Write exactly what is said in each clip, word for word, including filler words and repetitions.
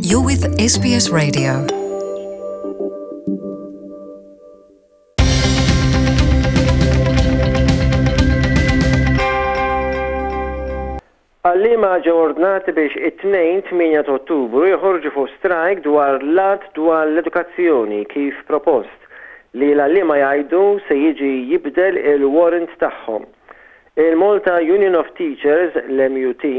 You're with S B S Radio. Għalliema ġew ordnati biex it-Tnejn tmienja ta' Ottubru joħorġu fuq strajk dwar l-Att dwar l-Edukazzjoni kif propost, li l-għalliema jgħidu se jiġi jibdel il-warrant tagħhom. Il-Malta Union of Teachers, l-M U T,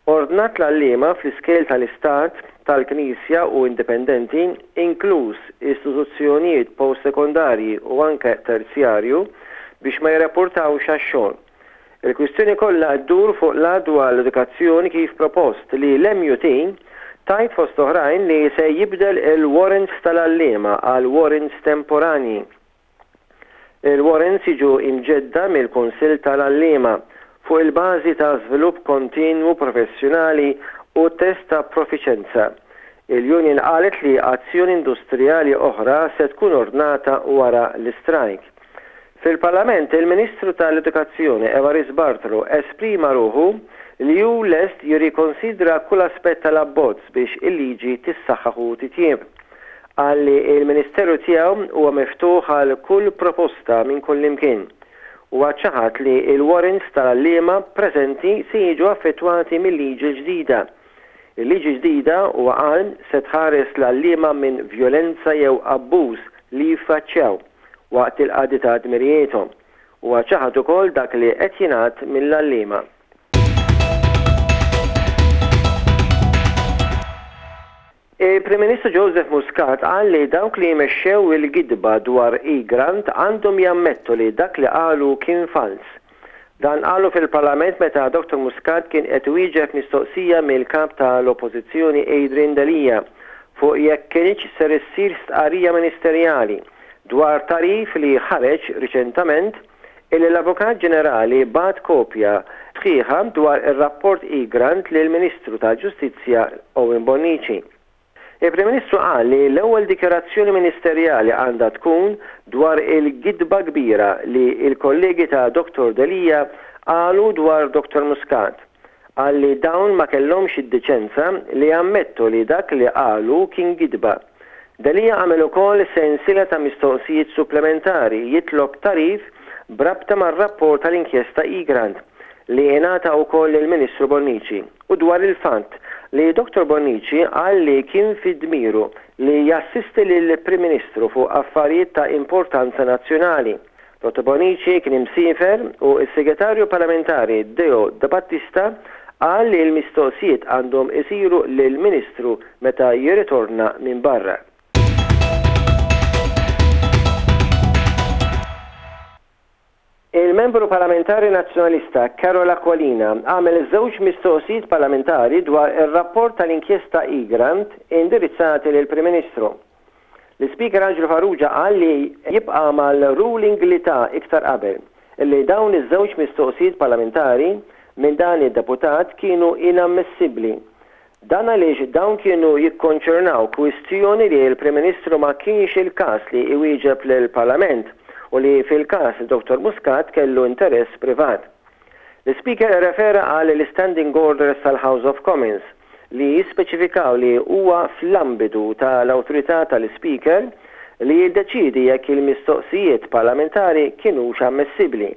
ordnat l-għalliema fl-iskejjel tal-Istat, tal-Knisja u indipendenti, inkluż istituzzjonijiet post-sekondarji u anke terzjarju, biex ma jirrapportawx għax-xogħol. Il-kwistjoni kollha ddur fuq l-Att dwar l-Edukazzjoni kif propost, li l-M U T tgħid fost oħrajn li se jibdel il-warrants tal-għalliema għal warrants temporanji. Il-warrants jiġu imġedda mill-Kunsill tal-Għalliema fuq il-bażi ta' żvilupp kontinwu professjonali u test ta' profiċenza. Il-Union qalet li azzjoni industrijali oħra se tkun ordnata wara l-istrajk. Fil-Parlament, il-Ministru tal-Edukazzjoni Evarist Bartolo esprima ruħu li hu lest jirrikonsidra kull aspett tal-abbozz biex il-liġi tissaħħaħ u titjieb. Qal li il-Ministeru tiegħu huwa miftuħ għal kull proposta minn kull imkien u ċaħad li il-warrants tal-għalliema preżenti se jiġu affettwati mill-liġi ġdida. Il-liġi ġdida, huwa qal, se tħares l-għalliema minn vjolenza jew abbuż li jiffaċċjaw waqt il-qadi ta' dmirijiethom, u ċaħad ukoll dak li qed jingħad mill-għalliema. Il-Prim Ministru Joseph Muscat qal li dawk li jmexxew il-gidba dwar Egrant għandhom jammettu li dak li qalu kien fals. Dan qalu fil-Parlament meta Doktor Muscat kien qed wieġeb mistoqsija mill-kap tal-Oppożizzjoni Adrian Delia fuq jekk kienx ser issir stqarrija ministerjali dwar tagħrif li ħareġ riċentament illi l-Avukat Ġenerali bagħat kopja sħiħa dwar ir-rapport Egrant lil Ministru tal-Ġustizzja Owen Bonnici. Il-Prim Ministru qal li l-ewwel dikjarazzjoni ministerjali għandha tkun dwar il-gidba kbira li il-kollegi ta' Doktor Delia qalu dwar Doktor Muscat. Qal li dawn ma kellhomx id-deċenza li jammettu li dak li qalu kien gidba. Delia għamel ukoll sensiela ta' mistoqsijiet supplementari jitlob tagħrif b'rabta mar-rapport tal-inkjesta Egrant li ingħata wkoll il-Ministru Bonnici u dwar il-fatt li Doktor Bonnici qal li kien fi dmiru li jassisti lill-Prim Ministru fuq affarijiet ta' importanza nazzjonali. Doktor Bonnici kien imsiefer u s-Segretarju Parlamentari Deo Debattista qal li l-mistoqsijiet għandhom isiru lill-Ministru meta jirritorna minn barra. Il-membru parlamentari nazzjonalista Karol Aquilina għamel żewġ mistoqsijiet parlamentari dwar ir-rapport tal-inkjesta Egrant indirizzati lil Prim Ministru. L-Ispeaker Angelo Farrugia qal li jibqa' mal-ruling li ta iktar qabel li dawn iż-żewġ mistoqsijiet parlamentari minn dan id-deputat kienu inammissibbli. Dan għaliex dawn kienu jikkonċernaw kwistjoni li l-Prim Ministru ma kienx il-każ li iwieġeb lill-Parlament u li fil-każ Doktor Muscat kellu interess privat. L-Speaker refera għal l-Standing Orders tal-House of Commons li jispeċifikaw li huwa fl-ambitu tal-awtorità tal-Speaker li jiddeċidi jekk il-mistoqsijiet parlamentari kienux ammessibbli.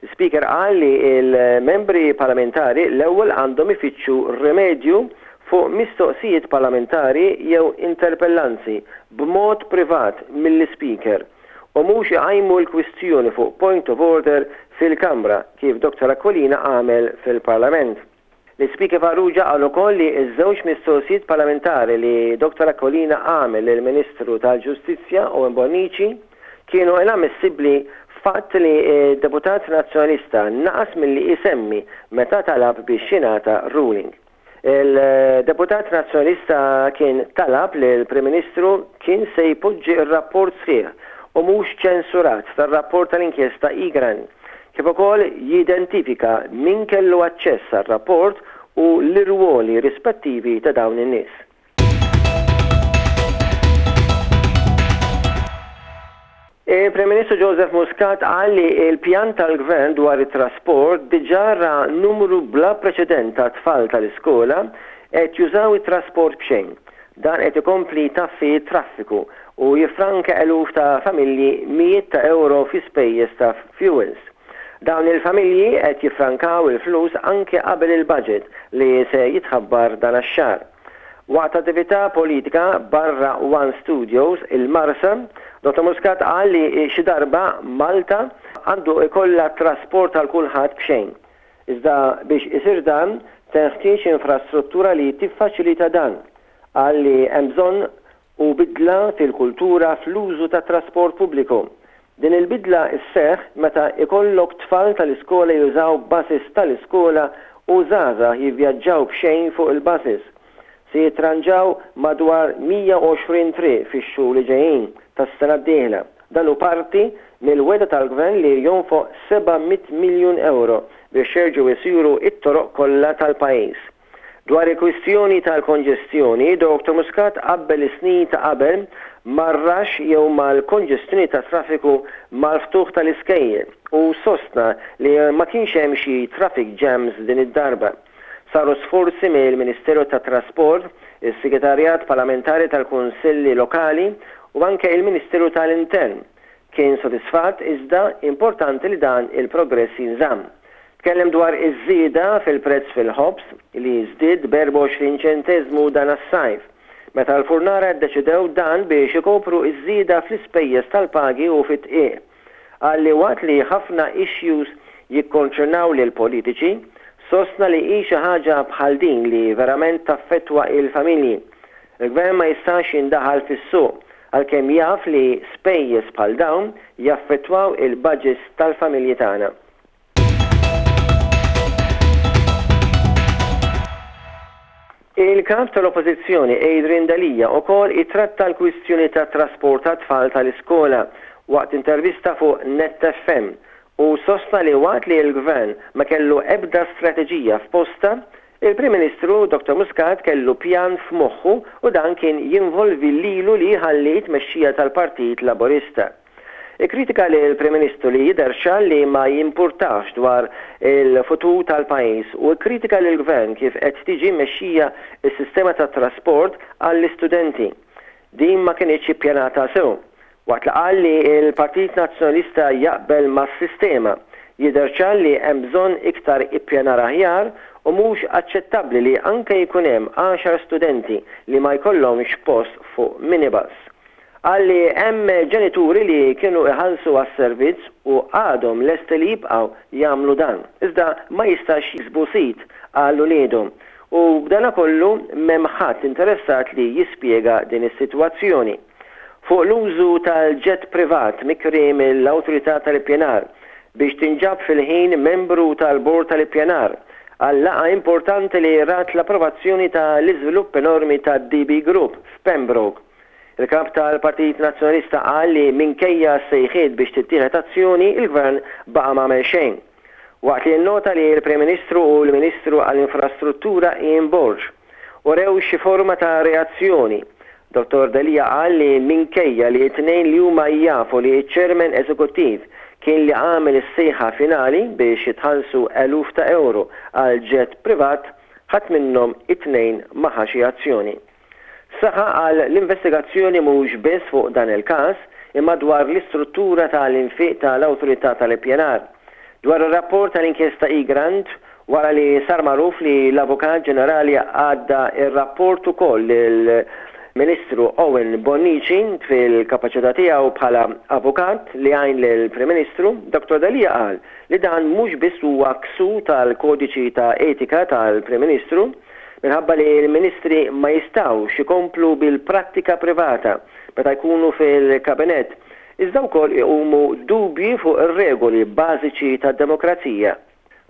L-Speaker qal li il-membri parlamentari l-ewwel għandhom ifittxu rimedju fuq mistoqsijiet parlamentari jew interpellanzi b'mod privat mill-Speaker u mhux iqajmu l-kwistjoni fuq point of order fil-Kamra kif Doktor Aquilina għamel fil-Parlament. L-Speaker Farrugia qal ukoll li ż-żewġ mistoqsijiet parlamentari li Doktor Aquilina għamel lill-Ministru tal-Ġustizzja Owen Bonnici kienu inammissibbli, fatt li deputat nazzjonalista naqas milli isemmi meta talab biex jingħata ruling. Il-deputat nazzjonalista kien talab li l-Prim Ministru kien se jpoġġi r-rapport sħiħ u mhux ċensurat tar-rapport tal-inkjesta Egrant, kif ukoll jidentifika min kellu aċċess għar-rapport u l-irwoli rispettivi ta' dawn in-nies. Il-Prim Ministru Joseph Muscat qal li l-pjan tal-Gvern dwar it-trasport diġà ra numru bla preċedent ta' tfal tal-iskola qed jużaw it-trasport b'xejn. Dan qed ikompli jtaffi t-traffiku u jiffranka eluf ta' familji mijiet ta' ewro fi spejjeż ta' fuels. Dawn il-familji qed jiffrankaw il-flus anke qabel il-budget li se jitħabbar dan ix-xahar. Waqt attività politika barra One Studios il-Marsa, Dottor Muscat qal li xi darba Malta għandu ikollha trasport għal kulħadd b'xejn. Iżda biex isir dan, tenħtieġ infrastruttura li tiffaċilita dan. Qal li hemm bżonn u bidla fil-kultura fl-użu ta' trasport pubbliku. Din il-bidla sseħħ meta ikollok tfal tal-iskola jużaw buses tal-iskola u żgħażagħ jivvjaġġaw b'xejn fuq il-buses. Se jitranġaw madwar mija u għoxrin triq fix-xhur li ġejjin tas-sena d-dieħla. Dan hu parti mill-wegħda tal-gvern li jonfoq seba' mitt miljun euro biex jerġgħu jsiru it-toroq kollha tal-pajjiż. Dwar il-kwistjoni tal-konġestjoni, Dottor Muscat qabbel is-snin ta' qabel mar-rax jew mal-konġestjoni ta' traffiku mal-ftuħ tal-iskejjel u sostna li ma kienx hemm xi traffic jams din id-darba. Saru sforzi mill-Ministeru tat-Trasport, is-Segretarjat Parlamentari tal-Kunsilli Lokali u anke il-Ministeru tal-Intern. Kien sodisfatt iżda importanti li dan il-progress jinżamm. Tkellem dwar iż-żieda fil-prezz fil-ħobż li żdied b'erbgħa u għoxrin ċenteżmu dan as-sajf, meta l-furnara ddeċidew dan biex ikopru iż-żieda fl-ispejjeż tal-pagi u fit-tqiegħ. Qal li waqt li ħafna issues jikkonċernaw lil politiċi, sostna li hi xi ħaġa bħal din li verament taffettwa il-familji. Il-gvern ma jistax jindaħal fis-suq għalkemm jaf li spejjeż bħal dawn jaffettwaw il-budgets tal-familji tagħna. Il-kap tal-Oppożizzjoni Adrian Delia wkoll ittratta l-kwistjoni ta' trasport ta' tfal tal-iskola waqt intervista fuq Net F M u sostna li waqt li l-gvern ma kellu ebda strateġija f'posta, il-Prim Ministru Dottor Muscat kellu pjan f'moħħu u dan kien jinvolvi lilu li jħalli t-tmexxija tal-Partit Laburista. Ikkritika li l-Prim Ministru li jidher ċar li ma jimpurtax dwar il-futur tal-pajjiż u kkritika lill-gvern kif qed tiġi mmexxija s-sistema tat-trasport għall-istudenti. Din ma kinitx ippjanata sew. Waqt li qal li l-Partit Nazzjonalista jaqbel mas-sistema, jidher ċar li hemm bżonn iktar ippjanar aħjar u mhux aċċettabbli li anke jkun hemm għaxar studenti li ma jkollhomx post fuq minibus. Qal li hemm ġenituri li kienu iħallsu għas-servizz u għadhom lesti li jibqgħu jagħmlu dan, iżda ma jistax jiksbu sit għal uliedhom u b'dana kollu m'hemm ħadd interessat li jispjega din is-sitwazzjoni. Fuq l-użu tal-jet privat mikri mill-Awtorità tal-Ippjanar biex tinġab fil-ħin membru tal-Bord tal-Ippjanar għal laqgħa importanti li rat l-approvazzjoni tal-iżvilupp enormi ta' D B Group f'Pembroke. Il-kap tal-Partit Nazzjonalista qal li minkejja sejħiet biex tittieħed azzjoni, il-gvern baqa' ma għamel xejn. Waqt li nnota li l-Prim Ministru u l-Ministru għall-Infrastruttura Ian Borg urew xi forma ta' reazzjoni. Dottor Delia qal li minkejja li t-tnejn li huma jafu li ċ-ċermen eżekuttiv kien li għamel is-sejħa finali biex jitħallsu eluf ta' euro għal jet privat, ħadd minnhom it-tnejn ma ħa xi azzjoni. Saħa għal l-investigazzjoni mhux biss fuq dan il-każ, imma dwar l-istruttura tal-infiq tal-Awtorità tal-Ippjanar. Dwar ir-rapport tal-inkjesta Egrant, wara li sar magħruf li l-Avukat Ġenerali għadda ir-rapport ukoll lill-Ministru Owen Bonnici fil-kapaċità tiegħu bħala avukat li għajn lill-Prim Ministru, Dottor Delia qal li dan mhux biss huwa ksur tal-kodiċi ta' etika tal-Prim Ministru, minħabba li l-ministri ma jistgħux ikomplu bil-prattika privata meta jkunu fil-kabinett, iżda wkoll iqumu dubji fuq ir-regoli bażiċi tad-demokrazija.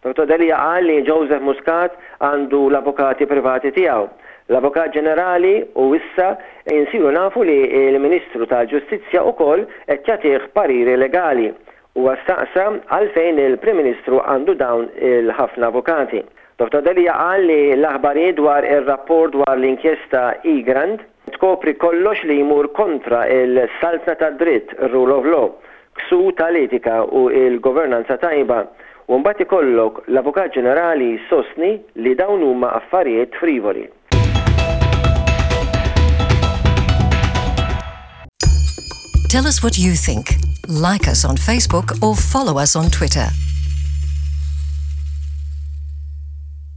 Dottor Delia qal li Joseph Muscat għandu l-avukati privati tiegħu, l-Avukat Ġenerali, u issa insiru nafu li l-Ministru tal-Ġustizzja wkoll qed jagħtih pariri legali. Huwa staqsa għalfejn il-Prim Ministru għandu dawn il-ħafna avukati. Dottor Delia qal li l-aħbarijiet dwar ir-rapport dwar l-inkjesta Egrant tkopri kollox li jmur kontra il-saltna tad-dritt, rule of law, ksur tal-etika u l-governanza tajba, u mbagħad ikollok l-Avukat Ġenerali sostni li dawn huma affarijiet frivoli. Tell us what you think. Like us on Facebook or follow us on Twitter.